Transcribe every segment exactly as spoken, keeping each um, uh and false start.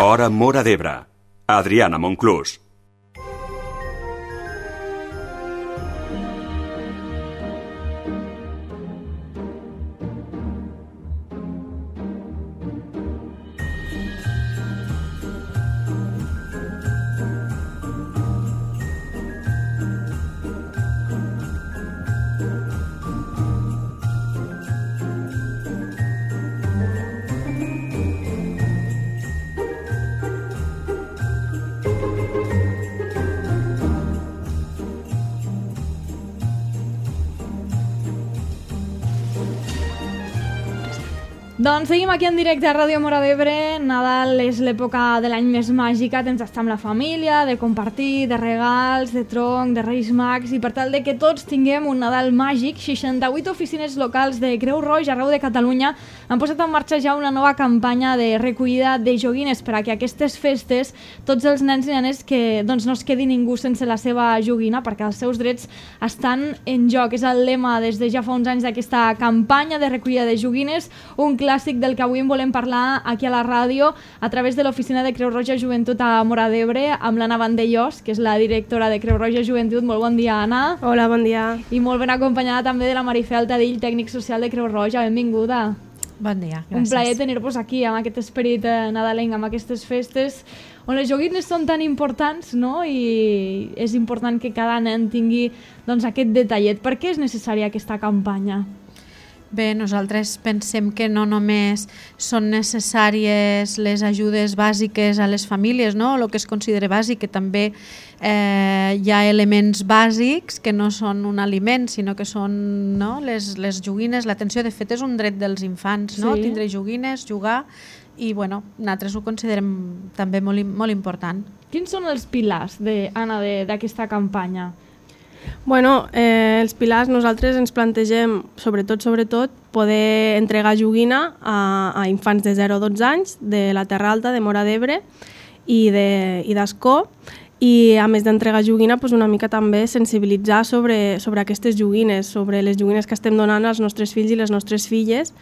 Hora Móra d'Ebre. Adriana Monclús. Doncs seguim aquí en directe a Ràdio Móra d'Ebre. Nadal és l'època de l'any més màgica, temps d'estar amb la família, de compartir, de regals, de tronc, de Reis Mags, i per tal de que tots tinguem un Nadal màgic, seixanta-vuit oficines locals de Creu Roja arreu de Catalunya han posat en marxa ja una nova campanya de recollida de joguines per a que aquestes festes tots els nens i nenes que doncs, no es quedi ningú sense la seva joguina, perquè els seus drets estan en joc. És el lema des de ja fa uns anys d'aquesta campanya de recollida de joguines, un clàssic del que avui en volem parlar aquí a la ràdio a través de l'oficina de Creu Roja Joventut a Móra d'Ebre amb l'Anna Vandellós, que és la directora de Creu Roja Joventut. Molt bon dia, Anna. Hola, bon dia. I molt ben acompanyada també de la Marifé Altadill, tècnic social de Creu Roja. Benvinguda. Bon dia, gràcies. Un plaer tenir-vos aquí amb aquest esperit nadalenc, amb aquestes festes on les joguines són tan importants, no? I és important que cada nen tingui doncs, aquest detallet. Per què és necessària aquesta campanya? Bé, nosaltres pensem que no només són necessàries les ajudes bàsiques a les famílies, no? El que es considera bàsic, que també eh, hi ha elements bàsics que no són un aliment, sinó que són no? les, les joguines. L'atenció, de fet, és un dret dels infants, no? Sí. Tindre joguines, jugar, i bueno, nosaltres ho considerem també molt, molt important. Quins són els pilars, de, Anna, d'aquesta campanya? Bueno, eh, els pilars nosaltres ens plantegem, sobretot, sobretot, poder entregar joguina a, a infants de zero a dotze anys de la Terra Alta, de Móra d'Ebre i d'Ascó, i a més d'entregar joguina, doncs una mica també sensibilitzar sobre, sobre aquestes joguines, sobre les joguines que estem donant als nostres fills i les nostres filles.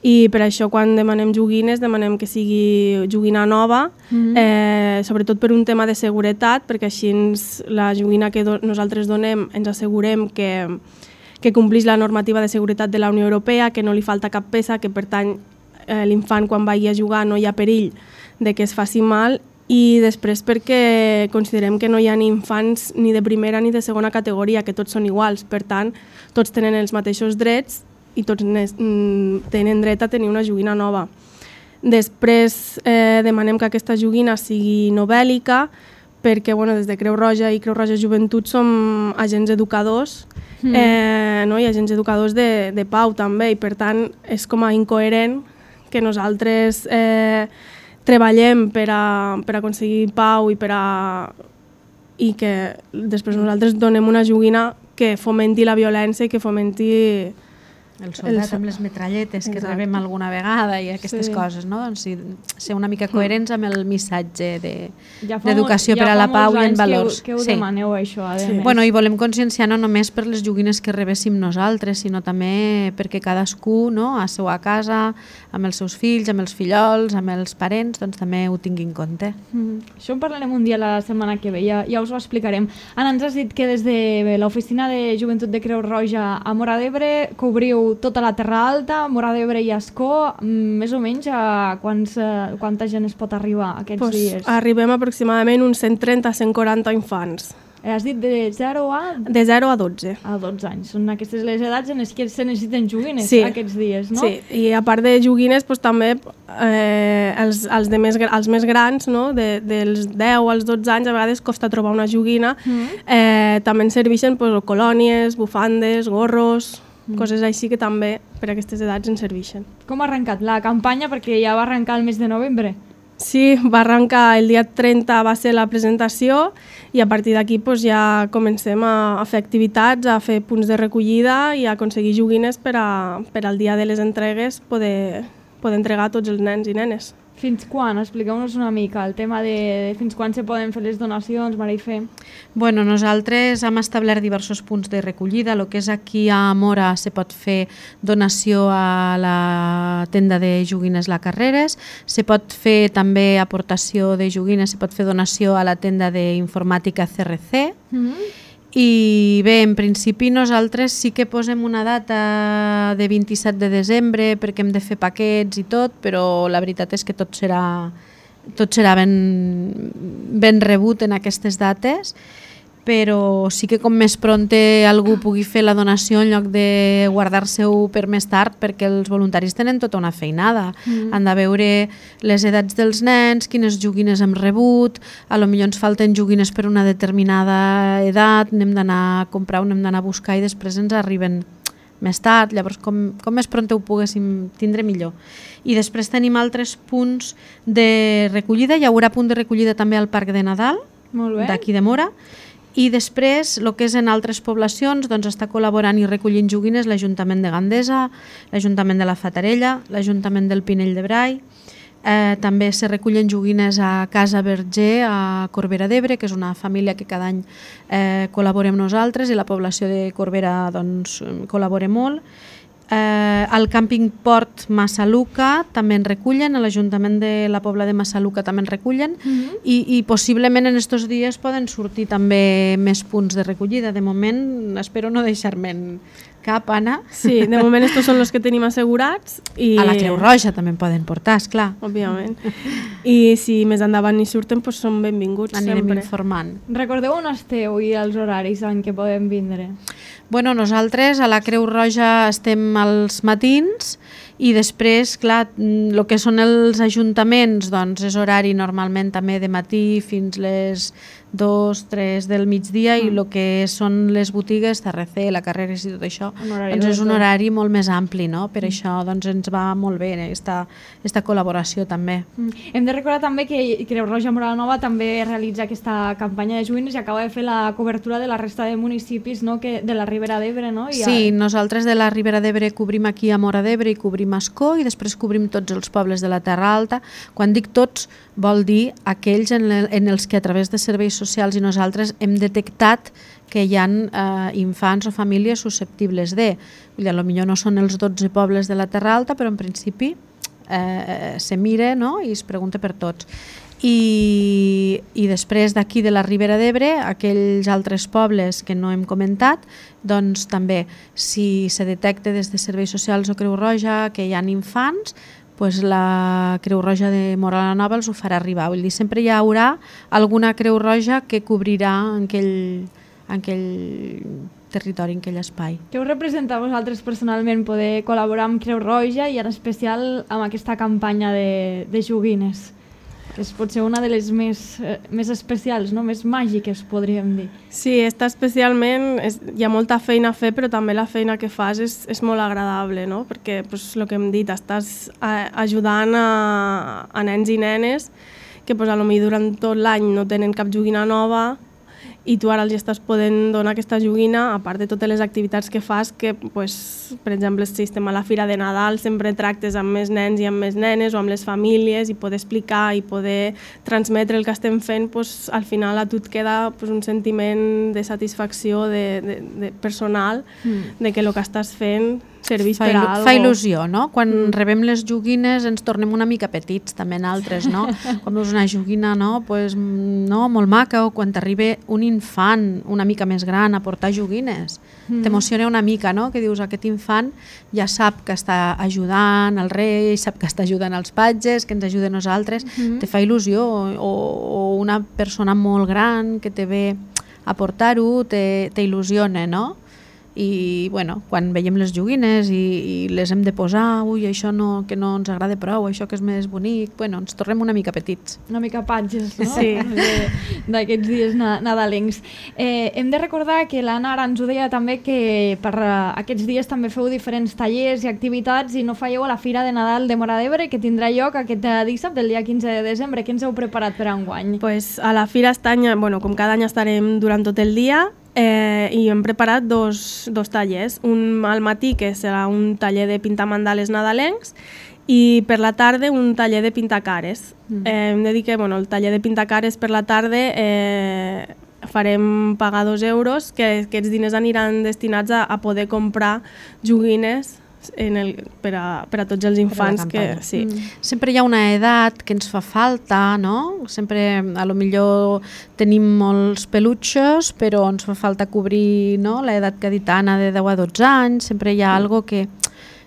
I per això quan demanem joguines demanem que sigui joguina nova, mm-hmm. eh, sobretot per un tema de seguretat, perquè així ens, la joguina que do, nosaltres donem ens assegurem que, que complix la normativa de seguretat de la Unió Europea, que no li falta cap peça, que per tant eh, l'infant quan vagi a jugar no hi ha perill de que es faci mal, i després perquè considerem que no hi ha ni infants ni de primera ni de segona categoria, que tots són iguals, per tant tots tenen els mateixos drets i tots tenen dret a tenir una joguina nova. Després eh, demanem que aquesta joguina sigui no bèl·lica, perquè bueno, des de Creu Roja i Creu Roja Joventut som agents educadors, mm. eh, no? I agents educadors de, de pau també, i per tant és com a incoherent que nosaltres eh, treballem per, a, per aconseguir pau i per a i que després nosaltres donem una joguina que fomenti la violència i que fomenti el soldat el... amb les metralletes que Exacte. Rebem alguna vegada i aquestes sí. coses, no? Doncs sí, ser una mica coherents amb el missatge d'educació de, ja per a la pau i en valors. Que ho, que ho sí. demaneu, això, a sí. Bueno, i volem conscienciar no només per les joguines que rebéssim nosaltres, sinó també perquè cadascú, no, a seva casa, amb els seus fills, amb els fillols, amb els parents, doncs també ho tingui en compte. Mm. Això en parlarem un dia la setmana que ve, ja, ja us ho explicarem. Anna, ens has dit que des de l'oficina de Joventut de Creu Roja a Móra d'Ebre cobriu tota la Terra Alta, Móra d'Ebre i Ascó. Més o menys a quants, a quanta gent es pot arribar aquests pues dies? Arribem aproximadament uns cent trenta a cent quaranta infants. Has dit de zero a... De zero a dotze. A dotze anys. Són aquestes les edats en les que se necessiten joguines sí. aquests dies, no? Sí, i a part de joguines, pues, també eh, els, els, de més, els més grans, no? de, dels deu als dotze anys, a vegades costa trobar una joguina. Mm. Eh, també ens serveixen pues, colònies, bufandes, gorros, mm. coses així que també per a aquestes edats ens serveixen. Com ha arrencat la campanya? Perquè ja va arrencar el mes de novembre. Sí, va arrencar el dia trenta, va ser la presentació, i a partir d'aquí pues, ja comencem a, a fer activitats, a fer punts de recollida i a aconseguir joguines per, a, per al dia de les entregues poder, poder entregar a tots els nens i nenes. Fins quan? Expliqueu-nos una mica el tema de, de fins quan se poden fer les donacions, Marifé. Bueno, nosaltres hem establert diversos punts de recollida. El que és aquí a Mora se pot fer donació a la tenda de joguines La Carreres, se pot fer també aportació de joguines, se pot fer donació a la tenda d'informàtica C R C. Mm-hmm. I bé, en principi nosaltres sí que posem una data de vint-i-set de desembre perquè hem de fer paquets i tot, però la veritat és que tot serà, tot serà ben, ben rebut en aquestes dates, però sí que com més pronte algú pugui fer la donació en lloc de guardar-se-ho per més tard, perquè els voluntaris tenen tota una feinada. Mm. Han de veure les edats dels nens, quines joguines hem rebut, a lo millor ens falten joguines per una determinada edat, n'hem d'anar a comprar, n'hem d'anar a buscar i després ens arriben més tard, llavors com, com més pronte ho poguéssim tindre millor. I després tenim altres punts de recollida, hi haurà punt de recollida també al Parc de Nadal, d'aquí de Mora, i després, el que és en altres poblacions, doncs està col·laborant i recollint joguines l'Ajuntament de Gandesa, l'Ajuntament de la Fatarella, l'Ajuntament del Pinell de Brai, eh, també se recullen joguines a Casa Verger, a Corbera d'Ebre, que és una família que cada any eh, col·laborem nosaltres i la població de Corbera doncs, col·labora molt. Eh, al càmping Port Massaluca també en recullen, a l'Ajuntament de la Pobla de Massaluca també en recullen, mm-hmm. i, i possiblement en estos dies poden sortir també més punts de recollida. De moment espero no deixar-me'n cap, Anna. Sí, de moment estos són els que tenim assegurats. I... A la Creu Roja també en poden portar, esclar. Òbviament. I si més endavant hi surten, doncs són benvinguts. Anirem sempre informant. Recordeu on esteu i els horaris en què podem vindre. Bueno, nosaltres a la Creu Roja estem als matins i després, clar, el que són els ajuntaments, doncs és horari normalment també de matí fins les dos, tres del migdia, mm. i el que són les botigues, C R C, La Carreres i tot això, doncs és un horari molt més ampli, no? Per mm. això doncs, ens va molt bé aquesta, aquesta col·laboració també. Mm. Hem de recordar també que Creu Roja Mora la Nova també realitza aquesta campanya de joguines i acaba de fer la cobertura de la resta de municipis, no? que, de la Ribera d'Ebre, no? I sí, a... nosaltres de la Ribera d'Ebre cobrim aquí a Mora d'Ebre i cobrim Ascó i després cobrim tots els pobles de la Terra Alta. Quan dic tots, vol dir aquells en, el, en els que a través de serveis socials i nosaltres hem detectat que hi ha eh, infants o famílies susceptibles de. Vull dir, potser no són els dotze pobles de la Terra Alta, però en principi eh, se mira, no? I es pregunta per tots. I, i després d'aquí de la Ribera d'Ebre, aquells altres pobles que no hem comentat, doncs també, si se detecta des de serveis socials o Creu Roja que hi ha infants, pues la Creu Roja de Mora la Nova els ho farà arribar. Vull dir, sempre hi haurà alguna Creu Roja que cobrirà en aquell, en aquell territori, en aquell espai. Què us representa a vosaltres personalment poder col·laborar amb Creu Roja i en especial amb aquesta campanya de, de joguines? Que és potser una de les més, eh, més especials, no? Més màgiques, podríem dir. Sí, està especialment, és, hi ha molta feina a fer, però també la feina que fas és, és molt agradable, no? Perquè, pues, el que hem dit, estàs a, ajudant a, a nens i nenes que pues, potser durant tot l'any no tenen cap joguina nova i tu ara els estàs podent donar aquesta joguina, a part de totes les activitats que fas, que, pues, per exemple, si estem a la Fira de Nadal, sempre tractes amb més nens i amb més nenes o amb les famílies i poder explicar i poder transmetre el que estem fent, pues, al final a tu et queda pues, un sentiment de satisfacció de, de, de personal, mm. de que el que estàs fent serveix fa per a alguna cosa. Fa il·lusió, no? Quan mm. rebem les joguines ens tornem una mica petits, també nosaltres, no? Quan veus una joguina, no? Pues, no? Molt maca, o quan t'arriba un infant una mica més gran a portar joguines, mm. t'emociona una mica, no? Que dius, aquest infant ja sap que està ajudant el rei, sap que està ajudant els patges, que ens ajuda a nosaltres, mm. te fa il·lusió, o, o una persona molt gran que te ve a portar-ho, t'il·lusiona, no? I bueno, quan veiem les joguines i, i les hem de posar, ui, això no, que no ens agrada prou, això que és més bonic, bueno, ens tornem una mica petits. Una mica patges, no? Sí. D'aquests dies nadalencs. Eh, hem de recordar que l'Anna ara ens ho deia també que per aquests dies també feu diferents tallers i activitats i no falleu a la Fira de Nadal de Mora d'Ebre que tindrà lloc aquest dissabte, el dia quinze de desembre. Què ens heu preparat per enguany? Pues a la Fira estany, bueno, com cada any estarem durant tot el dia, Eh, i hem preparat dos, dos tallers, un al matí que serà un taller de pintar mandales nadalencs i per la tarda un taller de pintacares. Mm. Eh, hem de dir que bueno, el taller de pintacares per la tarda eh, farem pagar dos euros, que aquests diners aniran destinats a, a poder comprar joguines en el, per, a, per a tots els infants. Que, sí. Mm. Sempre hi ha una edat que ens fa falta, no? Sempre, a lo millor tenim molts pelutxos, però ens fa falta cobrir, no? L'edat que ha dit Anna de deu a dotze anys, sempre hi ha mm. algo que,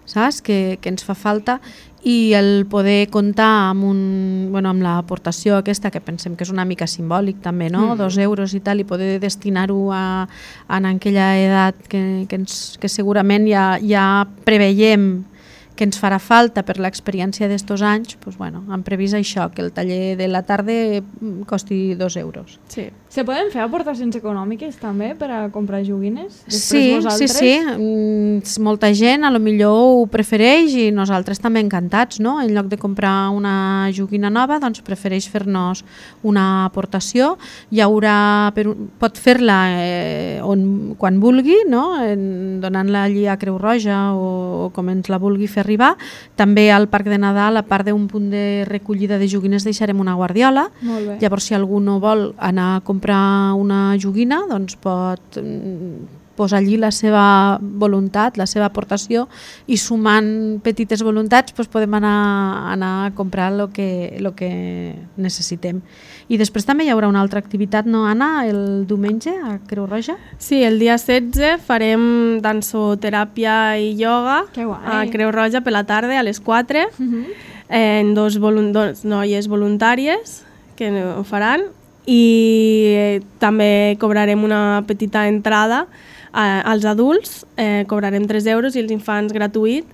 saps? Que, que ens fa falta, i el poder comptar amb, un, bueno, amb l'aportació aquesta, que pensem que és una mica simbòlic també, no? Mm. Dos euros i tal, i poder destinar-ho a, a en aquella edat que, que, ens, que segurament ja, ja preveiem que ens farà falta per l'experiència d'estos anys, doncs, bueno, han previst això, que el taller de la tarda costi dos euros. Sí. Se poden fer aportacions econòmiques també per a comprar joguines? Sí, sí, sí. Mm, molta gent a lo millor ho prefereix i nosaltres també encantats, no? En lloc de comprar una joguina nova, doncs prefereix fer-nos una aportació. Hi haurà, per, pot fer-la eh, on, quan vulgui, no? En, donant-la allí a Creu Roja o, o com ens la vulgui fer arribar. També al Parc de Nadal, a part d'un punt de recollida de joguines, deixarem una guardiola. Llavors, si algú no vol anar a comprar una joguina, doncs pot posar allí la seva voluntat, la seva aportació, i sumant petites voluntats doncs podem anar, anar a comprar el que, lo que necessitem. I després també hi haurà una altra activitat, no, Anna, el diumenge a Creu Roja? Sí, el dia setze farem dansoteràpia i ioga a Creu Roja per la tarda a les quatre, uh-huh. en dos, volun- dos noies voluntàries que ho faran, i també cobrarem una petita entrada eh, als adults, eh, cobrarem tres euros i els infants gratuït,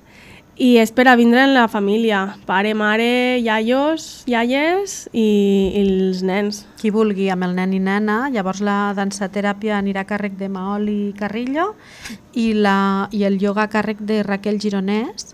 i és per a vindre en la família, pare, mare, iaios, iaies i, i els nens. Qui vulgui, amb el nen i nena. Llavors la dansateràpia anirà a càrrec de Maoli Carrillo i, la, i el ioga a càrrec de Raquel Gironès.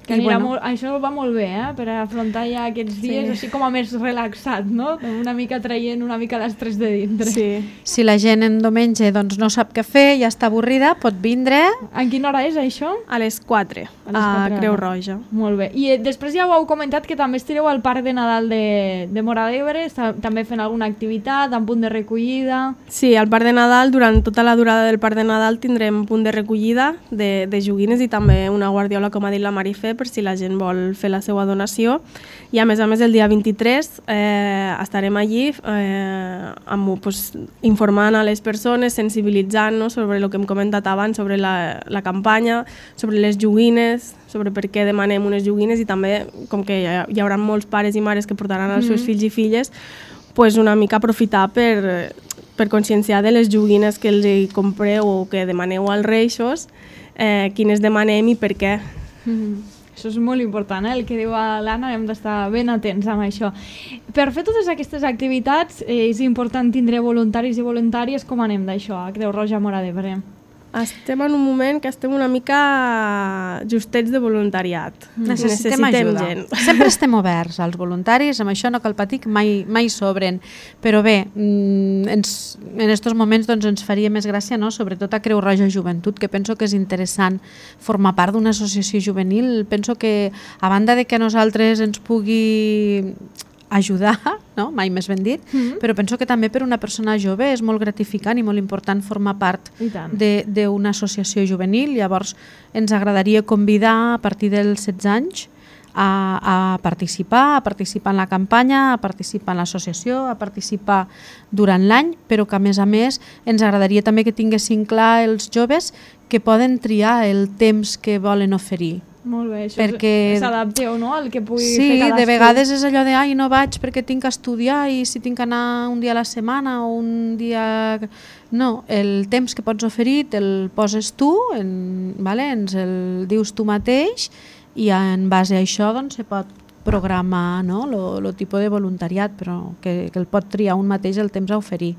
Que anirà bueno. molt, això va molt bé, eh? Per afrontar ja aquests dies, sí. Així com a més relaxat, no? Una mica traient una mica l'estrès de dintre. Sí. Si la gent en diumenge doncs, no sap què fer, ja està avorrida, pot vindre. En quina hora és això? A les quatre, a, les quatre a Creu Roja. Molt bé. I eh, després ja ho heu comentat que també estireu al Parc de Nadal de, de Móra d'Ebre, està també fent alguna activitat, en punt de recollida. Sí, al Parc de Nadal, durant tota la durada del Parc de Nadal tindrem punt de recollida de, de joguines i també una guardiola, com ha dit la Marifé, per si la gent vol fer la seva donació. I a més a més el dia vint-i-tres eh, estarem allí eh, amb, pues, informant a les persones, sensibilitzant, no, sobre el que hem comentat abans, sobre la, la campanya, sobre les joguines, sobre per què demanem unes joguines, i també com que hi, hi haurà molts pares i mares que portaran els seus mm. fills i filles, pues una mica aprofitar per, per conscienciar de les joguines que els compreu o que demaneu als Reixos, eh, quines demanem i per què. Mm. Això és molt important, eh? El que diu l'Anna, hem d'estar ben atents amb això. Per fer totes aquestes activitats eh, és important tindre voluntaris i voluntàries. Com anem d'això a Creu Roja Móra d'Ebre? Estem en un moment que estem una mica justets de voluntariat. Necessitem, Necessitem ajuda. Gent. Sempre estem oberts als voluntaris, amb això no cal patir, mai, mai sobren. Però bé, ens, en aquests moments doncs, ens faria més gràcia, no? Sobretot a Creu Roja Joventut, que penso que és interessant formar part d'una associació juvenil. Penso que, a banda de que a nosaltres ens pugui ajudar, no? Mai més ben dit, mm-hmm. però penso que també per una persona jove és molt gratificant i molt important formar part d'una associació juvenil. Llavors ens agradaria convidar a partir dels setze anys a, a participar, a participar en la campanya, a participar en l'associació, a participar durant l'any, però que a més a més ens agradaria també que tinguessin clar els joves que poden triar el temps que volen oferir. Molt bé, això perquè s'adapteu, no?, al que pugui sí, fer cadascú. Sí, de vegades és allò de ai, no vaig perquè tinc que estudiar i si tinc que anar un dia a la setmana o un dia... No, el temps que pots oferir te'l poses tu, en, vale? Ens el dius tu mateix i en base a això doncs, se pot programar, no?, el tipus de voluntariat, però que, que el pot triar un mateix el temps a oferir.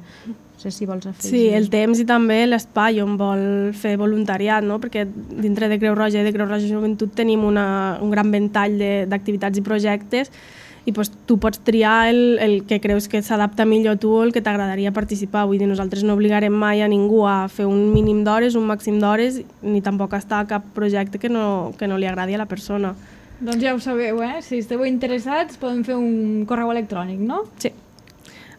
No sé si vols afegir. Sí, el temps i també l'espai on vol fer voluntariat, no? Perquè dintre de Creu Roja i de Creu Roja Joventut tenim una, un gran ventall d'activitats i projectes i pues, tu pots triar el, el que creus que s'adapta millor a tu o el que t'agradaria participar. Vull dir, nosaltres no obligarem mai a ningú a fer un mínim d'hores, un màxim d'hores, ni tampoc a estar a cap projecte que no, que no li agradi a la persona. Doncs ja ho sabeu, eh? Si esteu interessats podem fer un correu electrònic, no? Sí.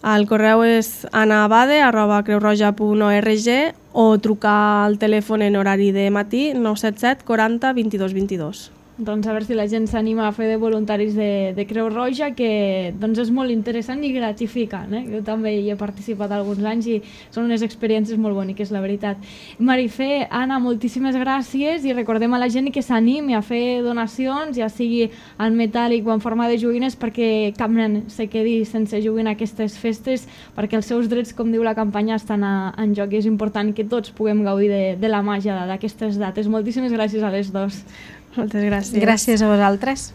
El correu és anabade arroba creurroja punt org o trucar al telèfon en horari de matí nou set set quaranta vint-i-dos vint-i-dos. Doncs a veure si la gent s'anima a fer de voluntaris de, de Creu Roja, que doncs és molt interessant i gratificant. Eh? Jo també hi he participat alguns anys i són unes experiències molt boniques, la veritat. Marifé, Anna, moltíssimes gràcies i recordem a la gent que s'animi a fer donacions, ja sigui en metàl·lic o en forma de joguines, perquè cap nen se quedi sense joguina aquestes festes, perquè els seus drets, com diu la campanya, estan a, en joc i és important que tots puguem gaudir de, de la màgia d'aquestes dates. Moltíssimes gràcies a les dos. Moltes gràcies. Gràcies a vosaltres.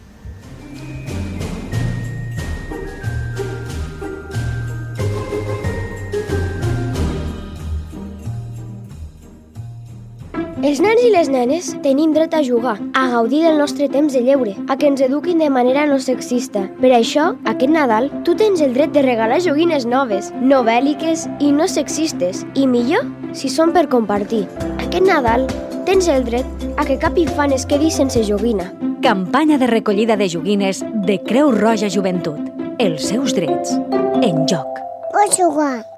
Els nens i les nenes tenim dret a jugar, a gaudir del nostre temps de lleure, a que ens eduquin de manera no sexista. Per això, aquest Nadal, tu tens el dret de regalar joguines noves, no bèl·liques i no sexistes, i millor si són per compartir. Aquest Nadal tens el dret a que cap infant es quedi sense joguina. Campanya de recollida de joguines de Creu Roja Joventut. Els seus drets en joc. Pots jugar.